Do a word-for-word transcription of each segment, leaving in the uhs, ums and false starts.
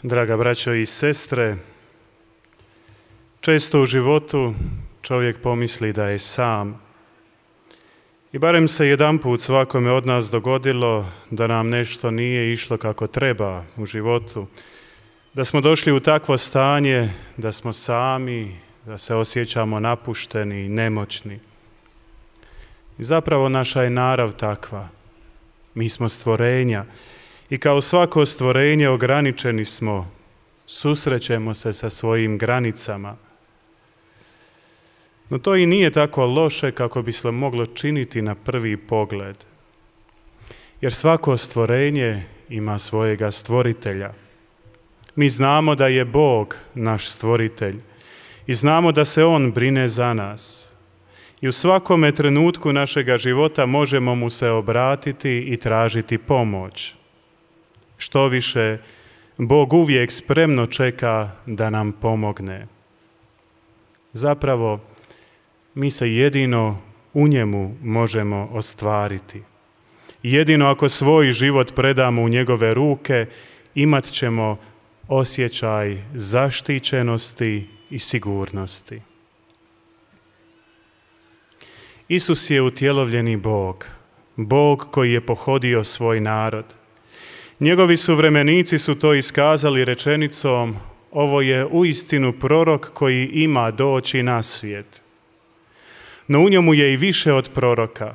Draga braćo i sestre, često u životu čovjek pomisli da je sam. I barem se jedanput svakome od nas dogodilo da nam nešto nije išlo kako treba u životu, da smo došli u takvo stanje da smo sami, da se osjećamo napušteni i nemoćni. I zapravo naša je narav takva. Mi smo stvorenja i kao svako stvorenje ograničeni smo, susrećemo se sa svojim granicama. No to i nije tako loše kako bi se moglo činiti na prvi pogled. Jer svako stvorenje ima svojega stvoritelja. Mi znamo da je Bog naš stvoritelj i znamo da se On brine za nas. I u svakome trenutku našega života možemo mu se obratiti i tražiti pomoć. Što više, Bog uvijek spremno čeka da nam pomogne. Zapravo, mi se jedino u njemu možemo ostvariti. Jedino ako svoj život predamo u njegove ruke, imat ćemo osjećaj zaštićenosti i sigurnosti. Isus je utjelovljeni Bog, Bog koji je pohodio svoj narod. Njegovi suvremenici su to iskazali rečenicom: ovo je uistinu prorok koji ima doći na svijet. No u njemu je i više od proroka.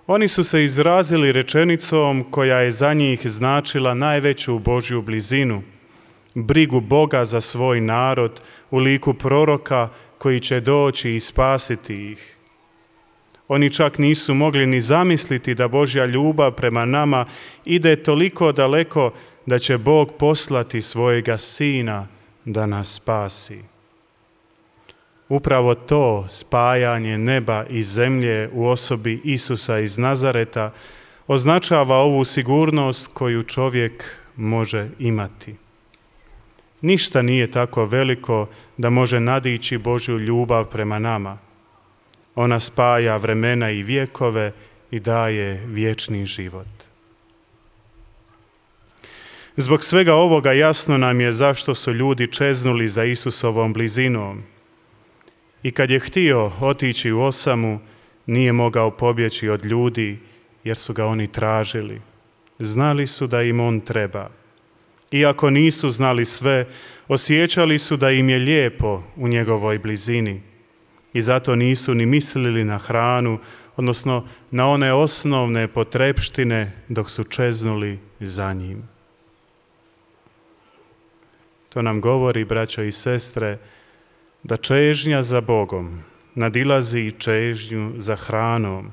Oni su se izrazili rečenicom koja je za njih značila najveću Božju blizinu, brigu Boga za svoj narod u liku proroka koji će doći i spasiti ih. Oni čak nisu mogli ni zamisliti da Božja ljubav prema nama ide toliko daleko da će Bog poslati svojega Sina da nas spasi. Upravo to spajanje neba i zemlje u osobi Isusa iz Nazareta označava ovu sigurnost koju čovjek može imati. Ništa nije tako veliko da može nadići Božju ljubav prema nama. Ona spaja vremena i vjekove i daje vječni život. Zbog svega ovoga jasno nam je zašto su ljudi čeznuli za Isusovom blizinom. I kad je htio otići u osamu, nije mogao pobjeći od ljudi, jer su ga oni tražili. Znali su da im on treba. Iako nisu znali sve, osjećali su da im je lijepo u njegovoj blizini. I zato nisu ni mislili na hranu, odnosno na one osnovne potrepštine dok su čeznuli za njim. To nam govori, braćo i sestre, da čežnja za Bogom nadilazi i čežnju za hranom.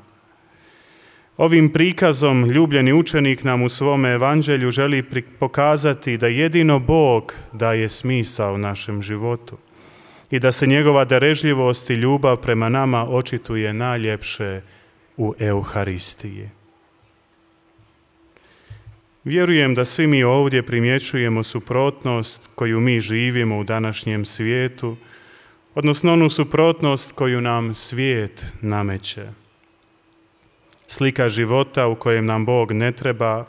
Ovim prikazom ljubljeni učenik nam u svome evanđelju želi pokazati da jedino Bog daje smisao našem životu i da se njegova darežljivost i ljubav prema nama očituje najljepše u Euharistiji. Vjerujem da svi mi ovdje primjećujemo suprotnost koju mi živimo u današnjem svijetu, odnosno onu suprotnost koju nam svijet nameće. Slika života u kojem nam Bog ne treba,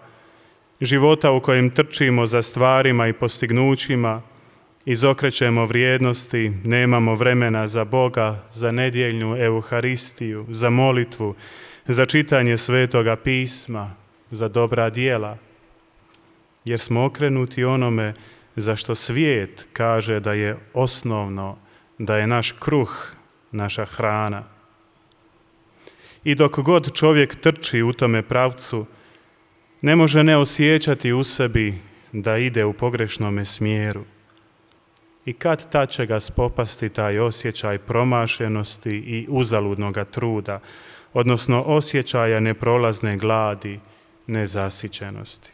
života u kojem trčimo za stvarima i postignućima, izokrećemo vrijednosti, nemamo vremena za Boga, za nedjeljnu Euharistiju, za molitvu, za čitanje Svetoga pisma, za dobra djela, jer smo okrenuti onome za što svijet kaže da je osnovno, da je naš kruh, naša hrana. I dok god čovjek trči u tome pravcu, ne može ne osjećati u sebi da ide u pogrešnome smjeru. I kad tad će ga spopasti taj osjećaj promašenosti i uzaludnoga truda, odnosno osjećaja neprolazne gladi, nezasićenosti.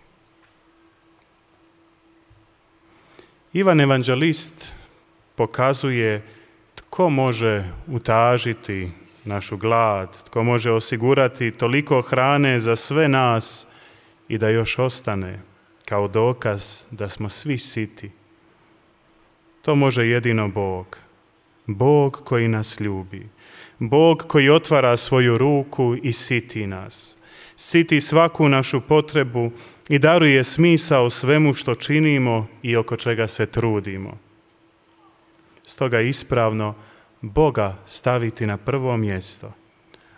Ivan Evanđelist pokazuje tko može utažiti našu glad, tko može osigurati toliko hrane za sve nas i da još ostane kao dokaz da smo svi siti. To može jedino Bog. Bog koji nas ljubi. Bog koji otvara svoju ruku i siti nas. Siti svaku našu potrebu i daruje smisao svemu što činimo i oko čega se trudimo. Stoga je ispravno Boga staviti na prvo mjesto,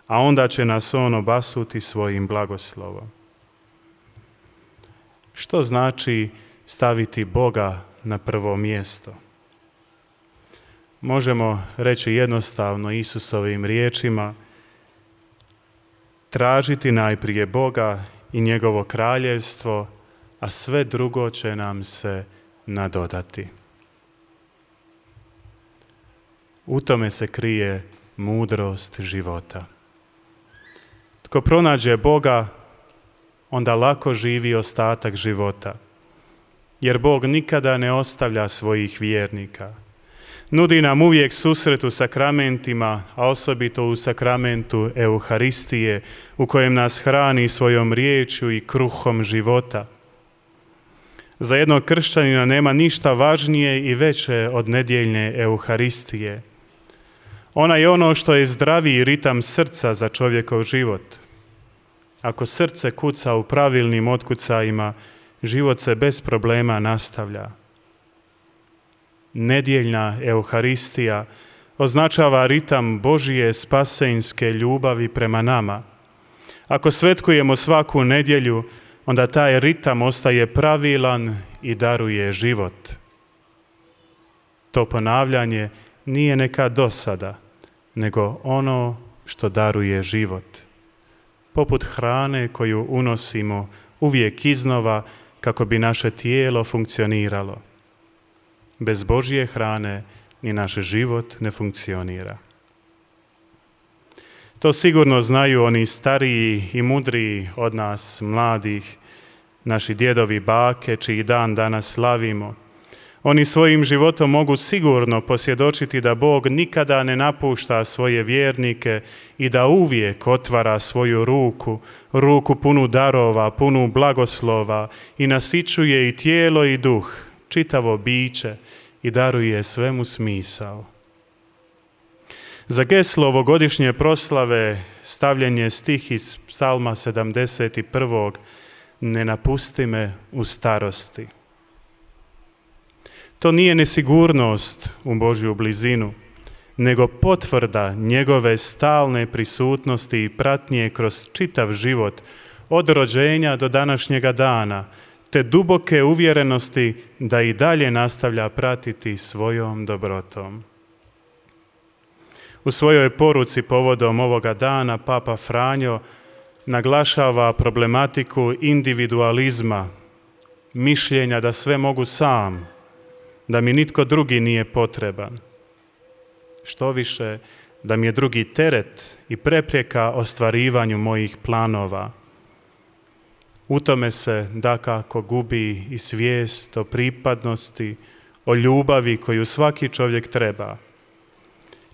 a onda će nas on obasuti svojim blagoslovom. Što znači staviti Boga na prvo mjesto? Možemo reći jednostavno Isusovim riječima: tražiti najprije Boga i njegovo kraljevstvo, a sve drugo će nam se nadodati. U tome se krije mudrost života. Tko pronađe Boga, onda lako živi ostatak života, jer Bog nikada ne ostavlja svojih vjernika. Nudi nam uvijek susret u sakramentima, a osobito u sakramentu Euharistije, u kojem nas hrani svojom riječju i kruhom života. Za jednog kršćanina nema ništa važnije i veće od nedjeljne Euharistije. Ona je ono što je zdraviji ritam srca za čovjekov život. Ako srce kuca u pravilnim otkucajima, život se bez problema nastavlja. Nedjeljna Euharistija označava ritam Božije spasenjske ljubavi prema nama. Ako svetkujemo svaku nedjelju, onda taj ritam ostaje pravilan i daruje život. To ponavljanje nije neka dosada, nego ono što daruje život. Poput hrane koju unosimo uvijek iznova kako bi naše tijelo funkcioniralo. Bez Božje hrane ni naš život ne funkcionira. To sigurno znaju oni stariji i mudriji od nas, mladih, naši djedovi, bake, čiji dan danas slavimo. Oni svojim životom mogu sigurno posvjedočiti da Bog nikada ne napušta svoje vjernike i da uvijek otvara svoju ruku, ruku punu darova, punu blagoslova i nasićuje i tijelo i duh, čitavo biće i daruje svemu smisao. Za geslo ovogodišnje proslave stavljen je stih iz Psalma sedamdeset prvog. Ne napusti me u starosti. To nije nesigurnost u Božju blizinu, nego potvrda njegove stalne prisutnosti i pratnje kroz čitav život, od rođenja do današnjega dana, te duboke uvjerenosti da i dalje nastavlja pratiti svojom dobrotom. U svojoj poruci povodom ovoga dana Papa Franjo naglašava problematiku individualizma, mišljenja da sve mogu sam, da mi nitko drugi nije potreban. Štoviše, da mi je drugi teret i prepreka ostvarivanju mojih planova. U tome se dakako gubi i svijest o pripadnosti, o ljubavi koju svaki čovjek treba.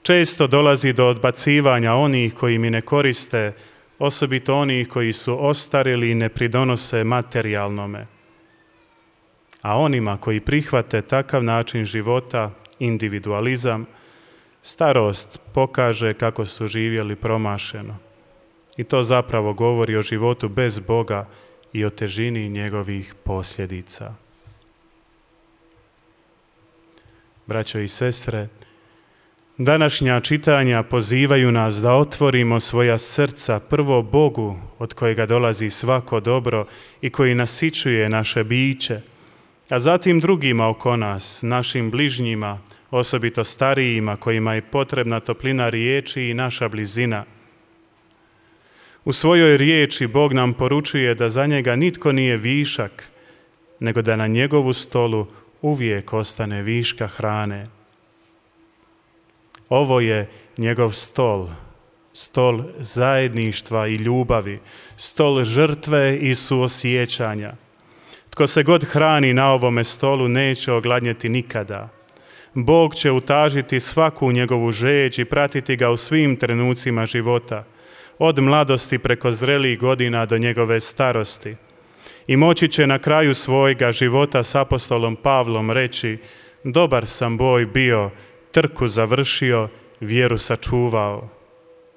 Često dolazi do odbacivanja onih koji mi ne koriste, osobito onih koji su ostarili i ne pridonose materijalnome. A onima koji prihvate takav način života, individualizam, starost pokaže kako su živjeli promašeno. I to zapravo govori o životu bez Boga i o težini njegovih posljedica. Braćo i sestre, današnja čitanja pozivaju nas da otvorimo svoja srca prvo Bogu od kojega dolazi svako dobro i koji nasićuje naše biće, a zatim drugima oko nas, našim bližnjima, osobito starijima kojima je potrebna toplina riječi i naša blizina. U svojoj riječi Bog nam poručuje da za njega nitko nije višak, nego da na njegovu stolu uvijek ostane viška hrane. Ovo je njegov stol, stol zajedništva i ljubavi, stol žrtve i suosjećanja. Tko se god hrani na ovome stolu neće ogladnjeti nikada. Bog će utažiti svaku njegovu žeđ i pratiti ga u svim trenucima života, od mladosti preko zrelih godina do njegove starosti. I moći će na kraju svojega života s apostolom Pavlom reći: dobar sam boj bio, trku završio, vjeru sačuvao.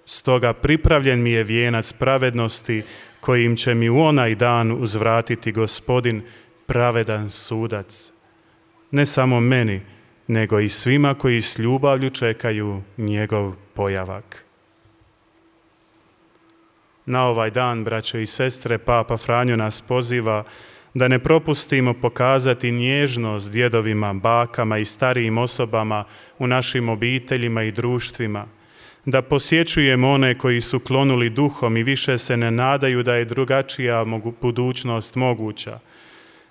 Stoga pripravljen mi je vijenac pravednosti kojim će mi u onaj dan uzvratiti Gospodin, pravedan sudac. Ne samo meni, nego i svima koji s ljubavlju čekaju njegov pojavak. Na ovaj dan, braćo i sestre, Papa Franjo nas poziva da ne propustimo pokazati nježnost djedovima, bakama i starijim osobama u našim obiteljima i društvima, da posjećujemo one koji su klonuli duhom i više se ne nadaju da je drugačija budućnost moguća,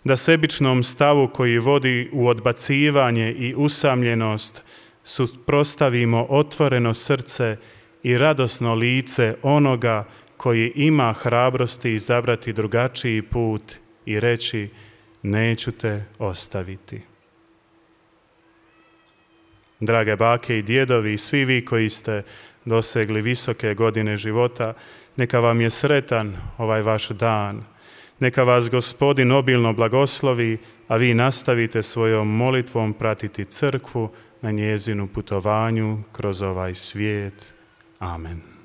da sebičnom stavu koji vodi u odbacivanje i usamljenost suprotstavimo otvoreno srce i radosno lice onoga koji ima hrabrosti izabrati drugačiji put i reći: neću te ostaviti. Drage bake i djedovi i svi vi koji ste dosegli visoke godine života, neka vam je sretan ovaj vaš dan. Neka vas Gospodin obilno blagoslovi, a vi nastavite svojom molitvom pratiti crkvu na njezinu putovanju kroz ovaj svijet. Amen.